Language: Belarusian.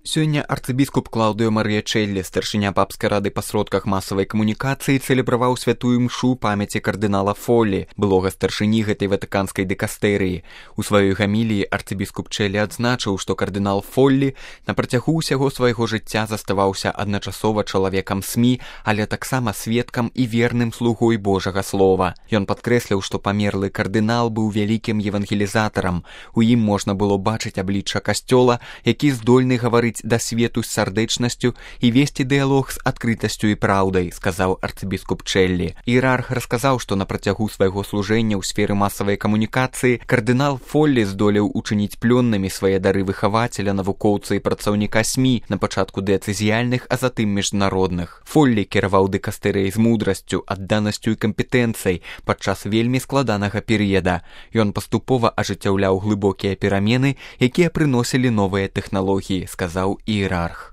Сёння арцыбіскуп Клаўдыо Марыя Челлі, старшыня папскай рады па сродках масавай камунікацыі, цэлебраваў святую імшу памяці кардынала Фоллі, былога старшыні гэтай ватыканскай дыкастэрыі. У сваёй гаміліі арцыбіскуп Челлі адзначыў, што кардынал Фоллі на працягу ўсяго свайго жыцця заставаўся адначасова чалавекам СМІ, але таксама сведкам і верным слугой Божага слова. Ён падкрэсліў, што памерлы кардынал быў вялікім евангелізатарам. У ім можна было бачыць аблічча касцёла, які здольны гаварыць да свету з сардэчнасцю і весці дыялог з адкрытасцю і праўдай, сказаў арцыбіскуп Челлі. Іерарх расказаў, што на працягу свайго служэння ў сферы масавай камунікацыі кардынал Фоллі здолеў учыніць плённымі свае дары выхавацеля, навукоўца і працаўніка СМІ, на пачатку дыяцэзіяльных, а затым міжнародных. Фоллі кіраваў дыкастэрыяй з мудрасцю, адданасцю і кампетэнцыяй падчас вельмі складанага перыяда. Ён паступова ажыццяўляў глыбокія перамены, якія прыносілі новыя тэхналогіі, сказаў іерарх.